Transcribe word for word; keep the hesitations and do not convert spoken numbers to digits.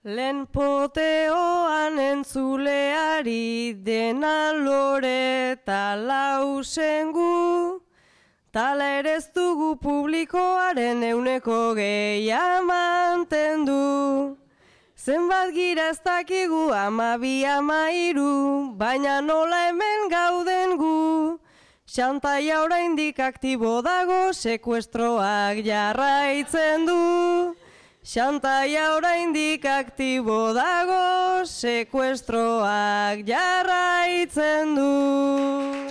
Lehen poteoan entzuleari dena lore eta lausengu, tala ere ez dugu publikoaren euneko gehia mantendu. Zenbat gira ez dakigu ama bi ama hiru, baina nola hemen gauden gu. Xantaia oraindik aktibo dago, sekuestroak jarraitzen du. Xantaia oraindik aktibo dago, sekuestroak jarraitzen du.